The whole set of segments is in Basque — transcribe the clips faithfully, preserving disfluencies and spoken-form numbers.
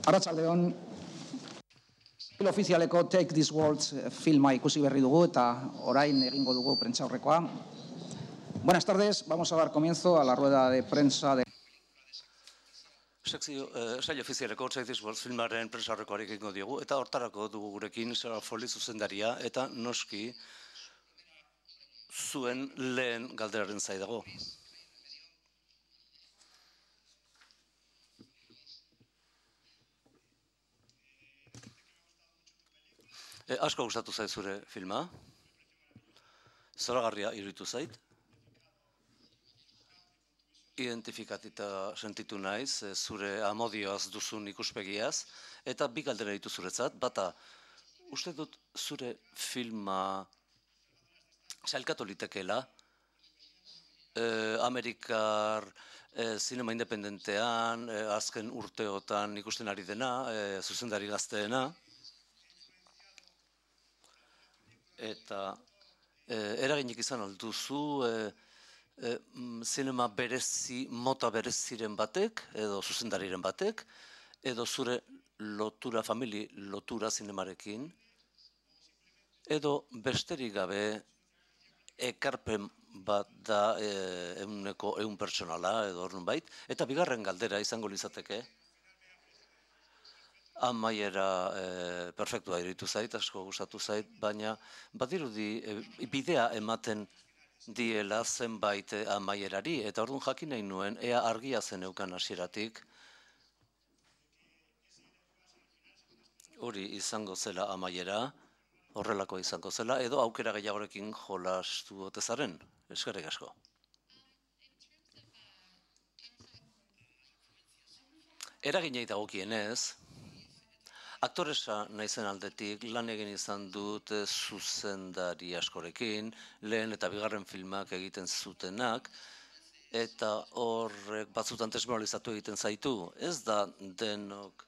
Arratsaldeon, film ofizialeko Take This Words filma ikusi berri dugu eta orain egingo dugu prentsaurrekoa. Buenas tardes, vamos a dar comienzo a la rueda de prensa de... Sekzio, saio ofizialeko Take This Words filmaren prentsaurrekoari egingo diogu eta hortarako dugu gurekin Sarah Foley zuzendaria eta noski zuen lehen galderaren zai dago. E, asko gustatu zait zure filma, zoragarria iruditu zait, identifikatita sentitu naiz, zure amodioaz duzun ikuspegiaz, eta bi galdera ditu zuretzat, bata, uste dut zure filma sailkatu litekeela, eh, Amerikar eh, zinema independentean, eh, azken urteotan ikusten ari dena, eh, zuzendari gazteena, eta eh, eraginik izan alduzu eh, eh, zinema berezi, mota bereziren batek, edo zuzendariren batek, edo zure lotura, famili lotura zinemarekin, edo besterik gabe ekarpen bat da eh, euneko eun pertsonala, edo ornun bait, eta bigarren galdera izango lizateke, amaiera e, perfektua iruditu zait, asko gustatu zait, baina badirudi e, bidea ematen diela zenbait amaierari, eta orduan jakin nahi nuen, ea argia zen eukan hasieratik, hori izango zela amaiera, horrelako izango zela, edo aukera gehiagorekin jolastu ote zaren, eskerrik asko. Eraginei dagokienez, aktoresa naizen aldetik lan egin izan dut zuzendari askorekin, lehen eta bigarren filmak egiten zutenak, eta horrek batzutan desmoralizatu egiten zaitu. Ez da denok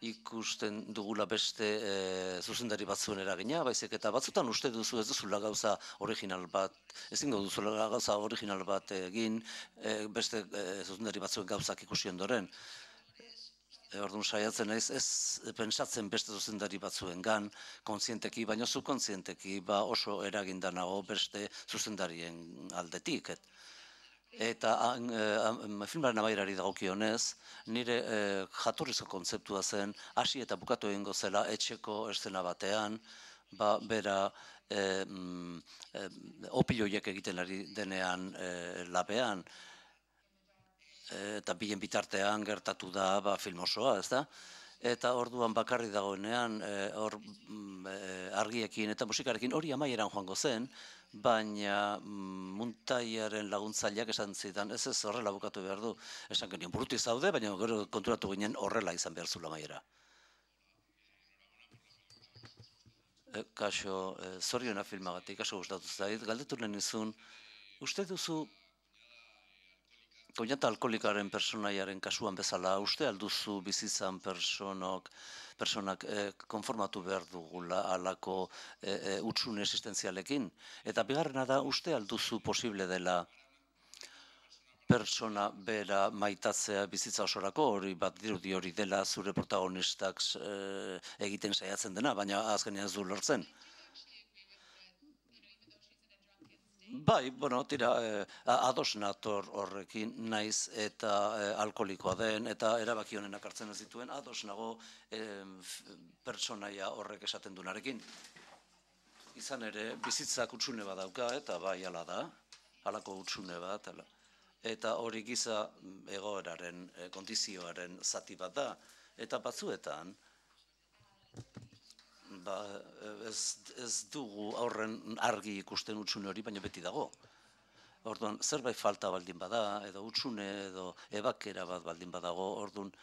ikusten dugula beste e, zuzendari batzuen eragina, baizik eta batzutan uste duzu ez duzula gauza original bat, ezingo duzula gauza original bat egin, e, beste e, zuzendari batzuen gauzak ikusi ondoren. Orduan saiatzen naiz, ez pentsatzen beste zuzendari batzuengan, kontzienteki, baina subkontzienteki, ba oso eraginda nago beste zuzendarien aldetik. Eta e, filmaren amaierari dagokionez, nire e, jatorrizko kontzeptua zen, hasi eta bukatu egingo zela etxeko eszena batean, ba bera e, e, opiloiek egiten ari denean e, labean, eta bilen bitartean gertatu da ba, film osoa, ez da? Eta orduan bakarri dagoenean, hor e, argiekin eta musikarekin hori amaieran joango zen, baina mm, muntaiaren laguntzaileak esan zidan, ez ez horrela bukatu behar du. Esan genien buruti zaude, baina gero konturatu ginen horrela izan behar zula amaiera. E, kaso, e, zoriona filmagatik, asko gustatu zait, galdetu lehen izun, uste duzu koinata alkoholikaren personaiaren kasuan bezala, uste alduzu bizitzan personok, personak eh, konformatu behar dugula alako eh, eh, utxune existenzialekin. Eta bigarrena da, uste alduzu posible dela persona bera maitatzea bizitza osorako, hori bat dirudi hori dela zure protagonistak eh, egiten saiatzen dena, baina azkenean ez du lortzen. Bai, bueno, tira, eh, ados nator horrekin naiz eta eh, alkoholikoa den, eta erabaki honenak hartzen ez dituen, ados nago eh, pertsonaia horrek esaten dunarekin. Izan ere, bizitzak utxune bat dauka, eta bai, ala da, halako utxune bat, ala. Eta hori giza egoeraren, eh, kondizioaren zati bat da, eta batzuetan, ba, ez, ez dugu aurren argi ikusten utxune hori, baina beti dago. Orduan, zerbait falta baldin bada, edo utxune, edo ebakera bat baldin badago, orduan,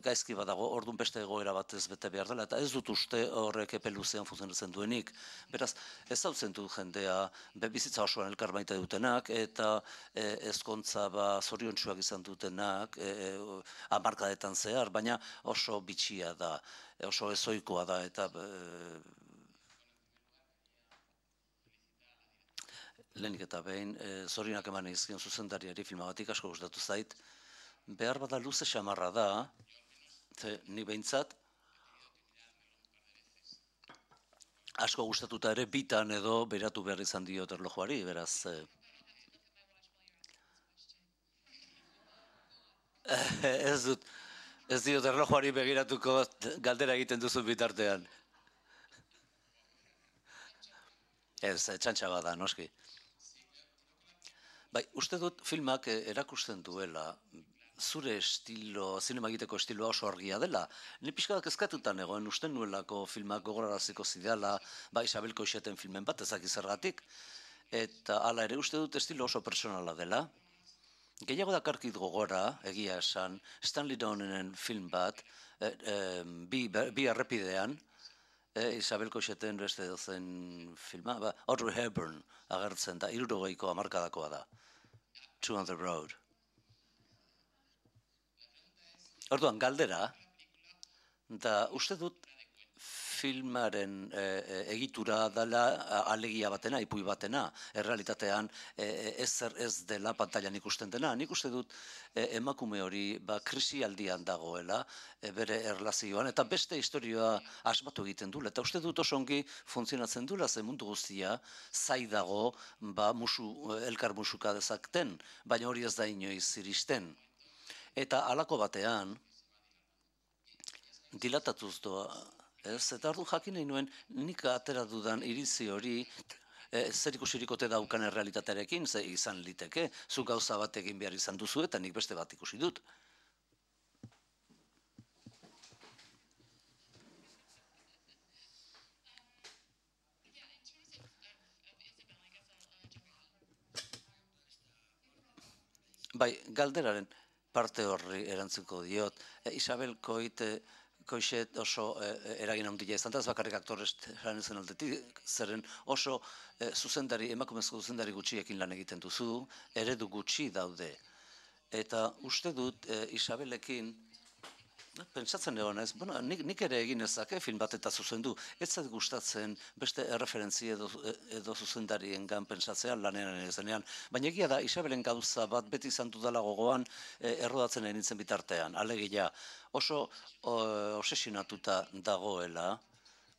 gaizki badago, orduan beste egoera bat ez bete behar dela, eta ez dut uste horrek epe luzean funtzionatzen duenik. Beraz, ez hautzen du jendea, bizitza osoan elkar maite dutenak, eta e, ezkontza ba, zoriontsuak izan dutenak, e, hamarkadetan zehar, baina oso bitxia da, oso ezoikoa da, eta e, lehenik eta behin, e, zorionak eman izkion zuzendariari filmagatik asko gustatu zait, behar bada luze xamarra da, Ze, ni behintzat, asko gustatuta ere bitan edo beratu behar izan diot erlojuari, beraz... Ez dut, ez diot erlojuari begiratuko galdera egiten duzu bitartean. Ez, txantxa bada, noski. Bai, uste dut filmak erakusten duela, zure estilo, zinema egiteko estiloa oso argia dela. Ni pixka bat kezkatutan egoen, uste nuelako filmak gogoraraziko zidala, ba Isabel Coixeten filmen bat, ezaki zergatik, eta hala ere uste dut estilo oso personala dela. Gehiago dakarkit gogora, egia esan, Stanley Donenen film bat, e, e, bi, bi errepidean, e, Isabel Coixeten beste dozen filma, ba, Audrey Hepburn agertzen da, hirurogeiko hamarkadakoa da. Two on the Road. Orduan, galdera, eta uste dut filmaren e, e, egitura dela alegia batena, ipui batena, errealitatean e, ezer ez dela pantailan ikusten dena. Nik uste dut e, emakume hori ba, krisialdian dagoela e, bere erlazioan, eta beste historioa asmatu egiten dula. Eta uste dut oso ongi funtzionatzen dula, ze mundu guztia zai dago ba, musu, elkar musuka dezakten, baina hori ez da inoiz iristen. Eta halako batean, dilatatuz doa, ez, eta ordu jakin nahi nuen, nik atera dudan iritzi hori, e, zer ikusirik ote daukan errealitatearekin, ze izan liteke, zu gauza bat egin behar izan duzu, eta nik beste bat ikusi dut. Bai, galderaren parte horri erantzuko diot. E, Isabel Coit, Coixet oso e, eragin handia izan da, ez bakarrik aktoresen zen aldetik, zeren oso e, zuzendari, emakumezko zuzendari gutxiekin lan egiten duzu, eredu gutxi daude. Eta uste dut e, Isabelekin, pentsatzen egon ez, bueno, nik, nik ere egin ezake film bat eta zuzendu, ez zait gustatzen beste erreferentzi edo, edo zuzendariengan pentsatzean lanean ezenean, baina egia da Isabelen gauza bat beti izan dudala gogoan e, errodatzen egin nintzen bitartean, alegia oso o, obsesionatuta dagoela,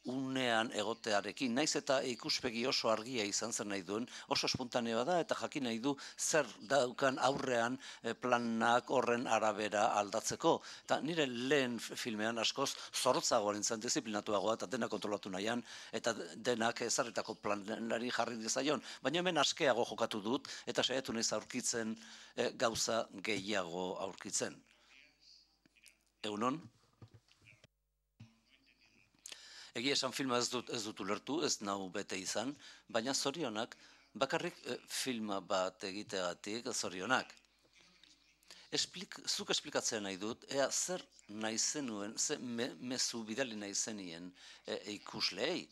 unean egotearekin, naiz eta ikuspegi oso argia izan zer nahi duen, oso espontaneoa da eta jakin nahi du zer daukan aurrean planak horren arabera aldatzeko. Eta nire lehen filmean askoz zorrotzagoa nintzen, disiplinatuagoa eta dena kontrolatu nahian, eta denak ezarritako planari jarri dizaion. Baina hemen askeago jokatu dut eta saiatu naiz aurkitzen e, gauza gehiago aurkitzen. Egunon? Egia esan filma ez dut, ez dut ulertu, ez nau bete izan, baina zorionak, bakarrik e, filma bat egiteagatik zorionak. Esplik, zuk esplikatzea nahi dut, ea zer nahi zenuen, ze me, mezu bidali nahi zenien e, ikusleei.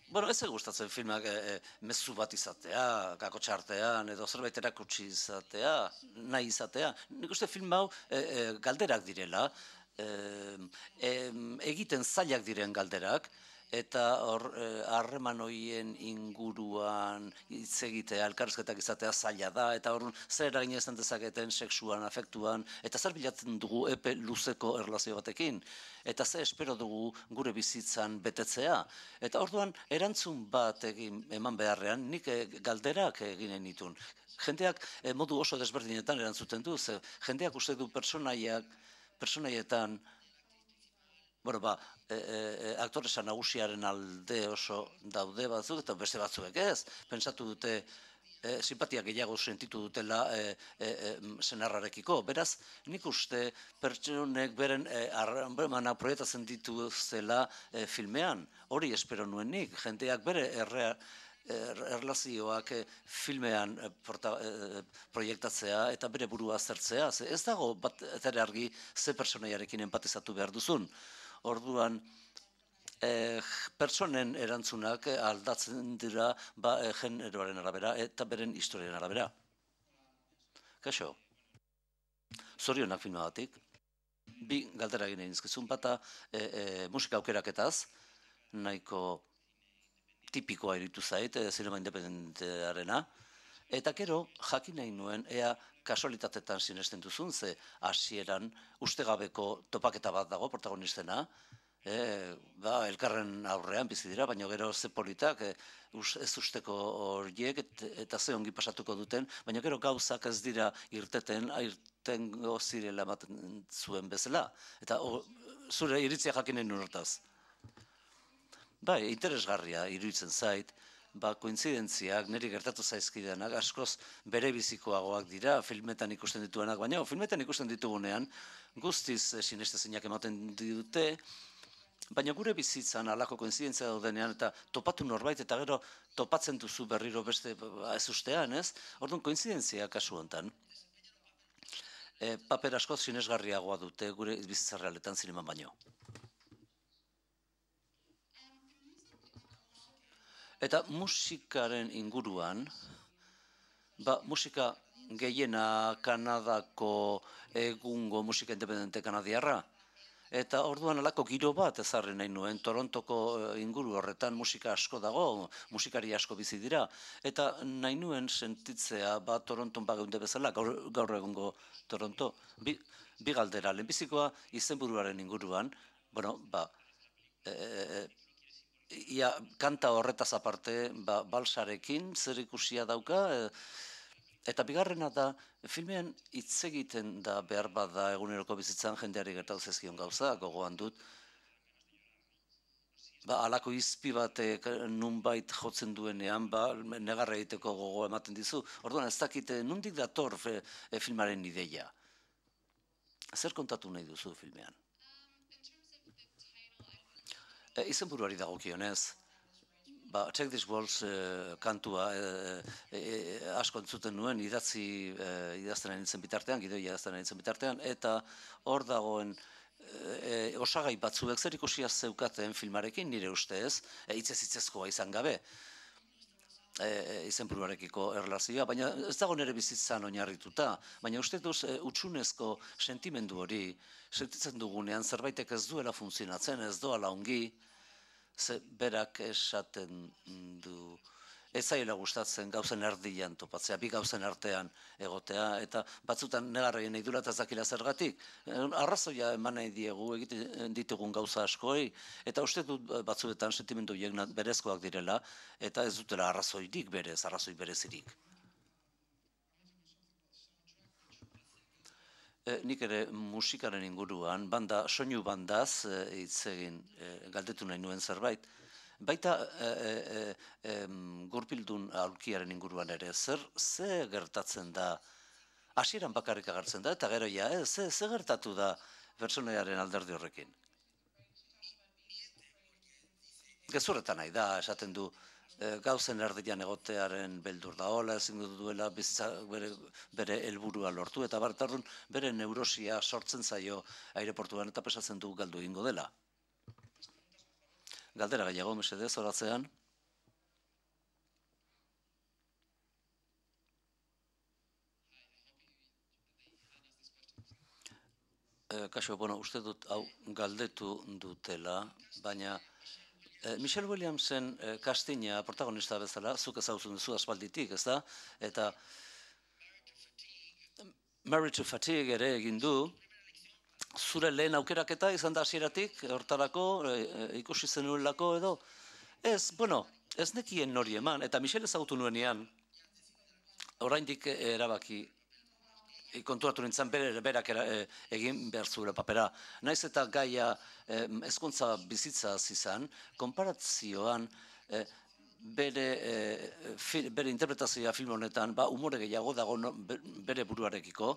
Bueno, ez gustatzen filmak e, e, mezu bat izatea, kakotxartean, edo zerbait erakutsi izatea, nahi izatea. Nik uste film hau e, e, galderak direla, e, e, egiten zailak diren galderak, eta hor harreman horien inguruan hitz egitea, elkarrizketak izatea zaila da, eta hor zer eragin izan dezaketen sexuan, afektuan, eta zer bilatzen dugu epe luzeko erlazio batekin, eta ze espero dugu gure bizitzan betetzea. Eta orduan erantzun bat egin eman beharrean, nik galderak eginen ditun. Jendeak modu oso desberdinetan erantzuten du, ze jendeak uste du personaiak, personaietan, bueno, ba, e, e, aktoresa nagusiaren alde oso daude batzuk, eta beste batzuek ez. Pentsatu dute, e, simpatia gehiago sentitu dutela e, e, e, senarrarekiko. Beraz, nik uste pertsonek beren e, harremana proiektatzen dituzela e, filmean. Hori espero nuen nik. Jendeak bere errea, erlazioak filmean proiektatzea eta bere burua aztertzea. Ez dago bat ere argi ze pertsonaiarekin empatizatu behar duzun. Orduan, eh, pertsonen erantzunak aldatzen dira ba, eh, generoaren arabera eta beren historiaren arabera. Kaixo, zorionak filmagatik. Bi galdera egin egin izkizun bata eh, eh, musika aukeraketaz, nahiko tipikoa iritu zait, zinema independentearena, eta gero jakin nahi nuen, ea kasualitatetan sinesten duzun, ze hasieran ustegabeko topaketa bat dago protagonistena, E, ba, elkarren aurrean bizi dira, baina gero ze politak e, us, ez usteko horiek et, eta ze ongi pasatuko duten, baina gero gauzak ez dira irteten, irtengo zirela ematen zuen bezala. Eta o, zure iritzia jakinen hortaz. Bai, interesgarria iruditzen zait, ba, kointzidentziak, niri gertatu zaizkidenak, askoz bere bizikoagoak dira, filmetan ikusten dituenak, baina filmetan ikusten ditugunean, guztiz e, sinestezinak ematen dute, baina gure bizitzan alako koinzidentzia daudenean eta topatu norbait eta gero topatzen duzu berriro beste ez ustean, ez? Orduan koinzidentzia kasu hontan. E, paper askoz sinesgarriagoa dute gure bizitza realetan zineman baino. Eta musikaren inguruan, ba, musika gehiena Kanadako egungo musika independente kanadiarra, eta orduan alako giro bat ezarri nahi nuen, Torontoko inguru horretan musika asko dago, musikari asko bizi dira, eta nahi nuen sentitzea ba Toronton bageunde bezala, gaur, gaur egungo Toronto, bi, bi galdera, lehenbizikoa izenburuaren inguruan, bueno, ba, e, ia, kanta horretaz aparte, ba, balsarekin zer ikusia dauka, e, eta bigarrena da, filmean hitz egiten da behar bada eguneroko bizitzan jendeari gertatu zezkion gauza, gogoan dut. Ba, alako izpi batek nunbait jotzen duenean, ba, negarra egiteko gogo ematen dizu. Orduan ez dakite, nondik dator e, filmaren ideia? Zer kontatu nahi duzu filmean? E, izenburuari dagokionez. Ba, Check These Walls eh, kantua eh, eh, asko entzuten nuen idatzi eh, idazten ari nintzen bitartean, gidoi idazten ari nintzen bitartean, eta hor dagoen eh, osagai batzuek zer ikusia zeukaten filmarekin nire ustez, eh, hitzez hitzezkoa izan gabe, eh, izenburuarekiko erlazioa, baina ez dago nire bizitzan oinarrituta, baina uste duz eh, utxunezko sentimendu hori, sentitzen dugunean zerbaitek ez duela funtzionatzen, ez doala ongi, ze berak esaten du, ez zaila gustatzen gauzen erdian topatzea, bi gauzen artean egotea, eta batzutan negarreien nahi dura eta ez dakila zergatik. Arrazoia eman nahi diegu egiten ditugun gauza askoi, eta uste dut batzuetan sentimendu horiek berezkoak direla, eta ez dutela arrazoirik berez, arrazoi berezirik. Nik ere musikaren inguruan, banda, soinu bandaz hitz egin galdetu nahi nuen zerbait. Baita e, e, e, gurpildun aurkiaren inguruan ere, zer, ze gertatzen da, hasieran bakarrik agertzen da, eta gero ja, ze, ze gertatu da pertsonaiaren alderdi horrekin? Gezurretan nahi da, esaten du, gauzen erdian egotearen beldur da hola, ezin duela bizitza bere, bere helburua lortu, eta bartarrun bere neurosia sortzen zaio aireportuan eta pesatzen du galdu egingo dela. Galdera gehiago, mesedez, horatzean. E, kaso, bueno, uste dut hau galdetu dutela, baina Michelle Williamsen castinga protagonista bezala, zuk ezagutzen duzu aspalditik, ez da? Eta Married to Fatigue ere egin du, zure lehen aukeraketa izan da hasieratik, hortarako, ikusi zenuelako edo? Ez, bueno, ez nekien nori eman, eta Michelle ezagutu nuenean, oraindik erabaki, konturatu nintzen berak egin behar zuela papera. Naiz eta gaia hezkuntza bizitza izan, konparazioan bere, bere interpretazioa film honetan, ba, umore gehiago dago bere buruarekiko,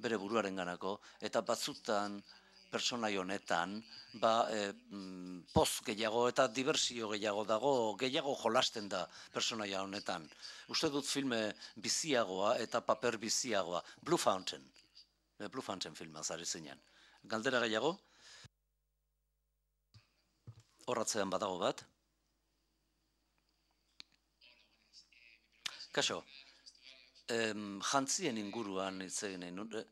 bere buruaren ganako, eta batzutan pertsonai honetan, ba, e, poz gehiago eta diversio gehiago dago, gehiago jolasten da pertsonaia honetan. Uste dut filme biziagoa eta paper biziagoa. Blue Fountain. Blue Fountain filma zari zinean. Galdera gehiago? Horratzean badago bat. Kaso, em, jantzien inguruan hitz egin nahi,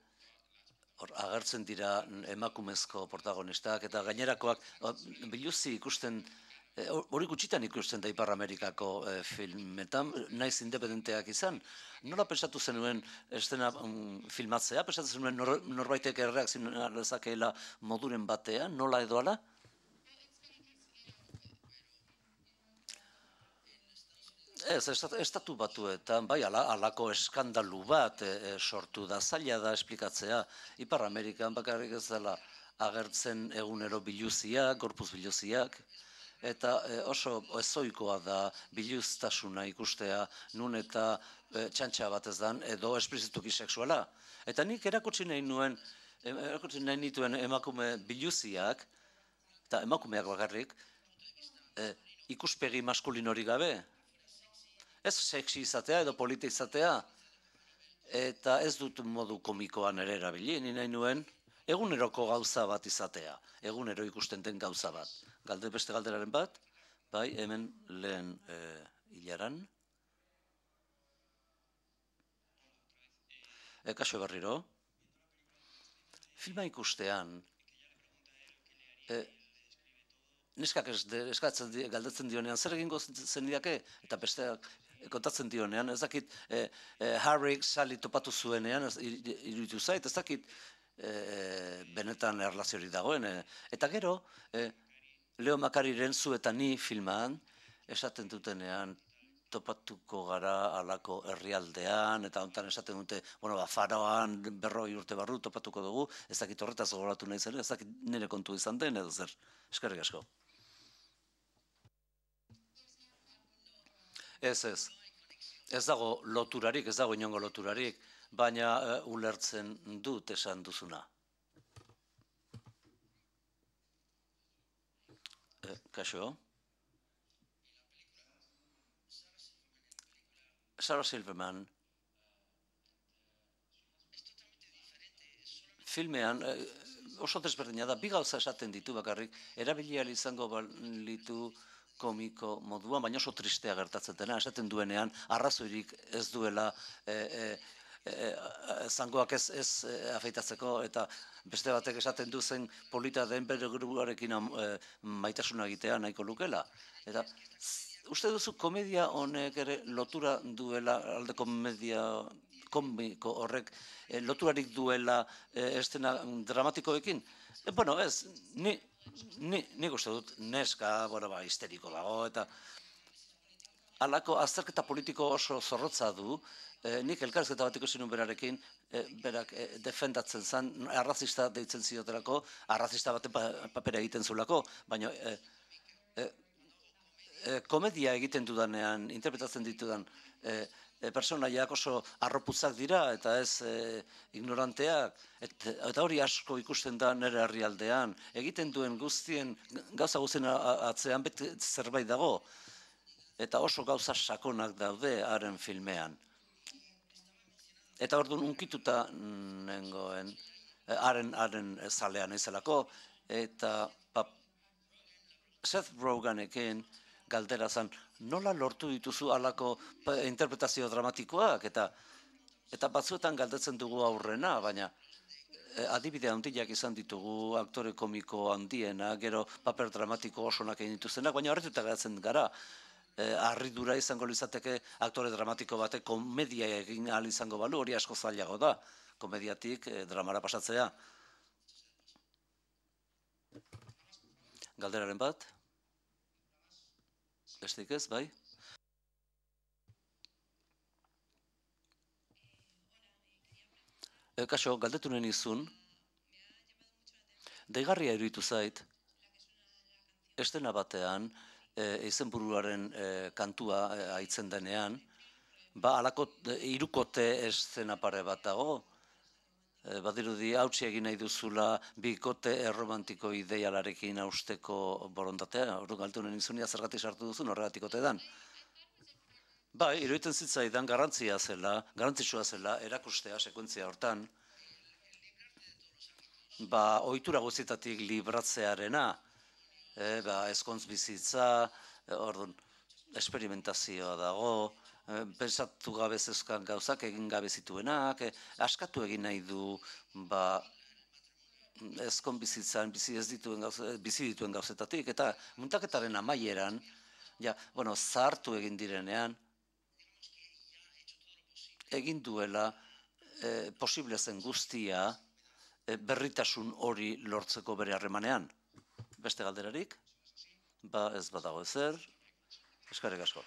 hor agertzen dira emakumezko protagonistak eta gainerakoak biluzi ikusten hori gutxitan ikusten da Ipar Amerikako filmetan, naiz independenteak izan. Nola pensatu zenuen estena filmatzea? Pensatu zenuen norbaitek erreakzioa dezakeela moduren batean, nola edo ala? Ez, estatu batuetan, bai, alako eskandalu bat sortu da, zaila da esplikatzea. Ipar Amerikan bakarrik ez dela agertzen egunero biluziak, gorpuz biluziak, eta oso ezoikoa da biluztasuna ikustea, nun eta txantxa bat ez dan, edo esplizituki sexuala. Eta nik erakutsi nahi nuen, erakutsi nahi nituen emakume biluziak, eta emakumeak bakarrik, ikuspegi maskulinori gabe, ez sexi izatea edo polita izatea, eta ez dut modu komikoan ere erabili, ni nahi nuen eguneroko gauza bat izatea, egunero ikusten den gauza bat. Galde beste galderaren bat, bai, hemen lehen hilaran. Kaixo berriro, filma ikustean, neskak eskatzen galdetzen dionean, zer egingo zenidake, eta besteak kontatzen dionean, ez dakit Harryk Sally topatu zuenean, iruditu zait, ez dakit benetan erlaziorik dagoen. Eta gero, Leo Macariren Zu eta Ni filman, esaten dutenean, topatuko gara alako herrialdean, eta hontan esaten dute, bueno, ba, Faroan berroi urte barru topatuko dugu, ez dakit horretaz gogoratu nahi zen, ez dakit nire kontu izan den, edo zer, eskerrik asko. Ez, ez. Ez dago loturarik, ez dago inongo loturarik, baina ulertzen dut esan duzuna. Kaixo? Sarah Silverman filmean oso desberdina da, bi gauza esaten ditu bakarrik, erabilial izango balitu komiko moduan, baina oso tristea gertatzen dena, esaten duenean, arrazoirik ez duela zangoak ez afeitatzeko, eta beste batek esaten du zen polita den bere gruarekin maitasuna egitea nahiko lukela. Eta uste duzu komedia honek ere lotura duela, alde komedia komiko horrek loturarik duela estena dramatikoekin? Bueno, ez, ni... Nik uste dut neska, bueno, ba, histeriko dago, eta halako azterketa politiko oso zorrotza du, nik elkarrizketa bat ikusi nuen berarekin, berak defendatzen zen, arrazista deitzen ziotelako, arrazista baten papera egiten zulako, baina komedia egiten dudanean, interpretatzen ditudan, personaiak oso arropuzak dira eta ez ignoranteak, eta hori asko ikusten da nire herrialdean, egiten duen guztien, gauza guztien atzean beti zerbait dago, eta oso gauza sakonak daude haren filmean. Eta orduan unkituta nengoen, haren zalean ezelako, eta Seth Rogenekin galdera zen, nola lortu dituzu halako interpretazio dramatikoak, eta batzuetan galdetzen dugu aurrena, baina adibide handiak izan ditugu, aktore komiko handiena, gero paper dramatiko osonak egin dituztenak, baina horretuta geratzen gara, harridura izango litzateke aktore dramatiko batek komedia egin ahal izango balu, hori asko zailago da, komediatik dramara pasatzea. Galderaren bat? Besteik ez, bai? Kaixo, galdetu nahi nizun, deigarria iruditu zait, estena batean, izenburuaren kantua aitzen denean, ba, halako hirukote estena pare bat dago, badirudi hautsi egin nahi duzula bikote erromantiko ideialarekin hausteko borondatea, hori galtu nahi nizun, zergatik sartu duzun horregatikote dan. Bai, iruditzen zitzaidan garrantzia zela, garrantzitsua zela, erakustea sekuentzia hortan, ba, ohitura guztietatik libratzearena, ezkontz bizitza, orduan, esperimentazioa dago, pensatu gabe zeuzkan gauzak egin gabe zituenak, askatu egin nahi du, ba, ezkon bizitzan, bizi ez dituen gauze, bizi dituen gauzetatik, eta muntaketaren amaieran, ja, bueno, zahartu egin direnean, egin duela e, posible zen guztia e, berritasun hori lortzeko bere harremanean. Beste galderarik? Ba ez badago ezer, eskerrik asko.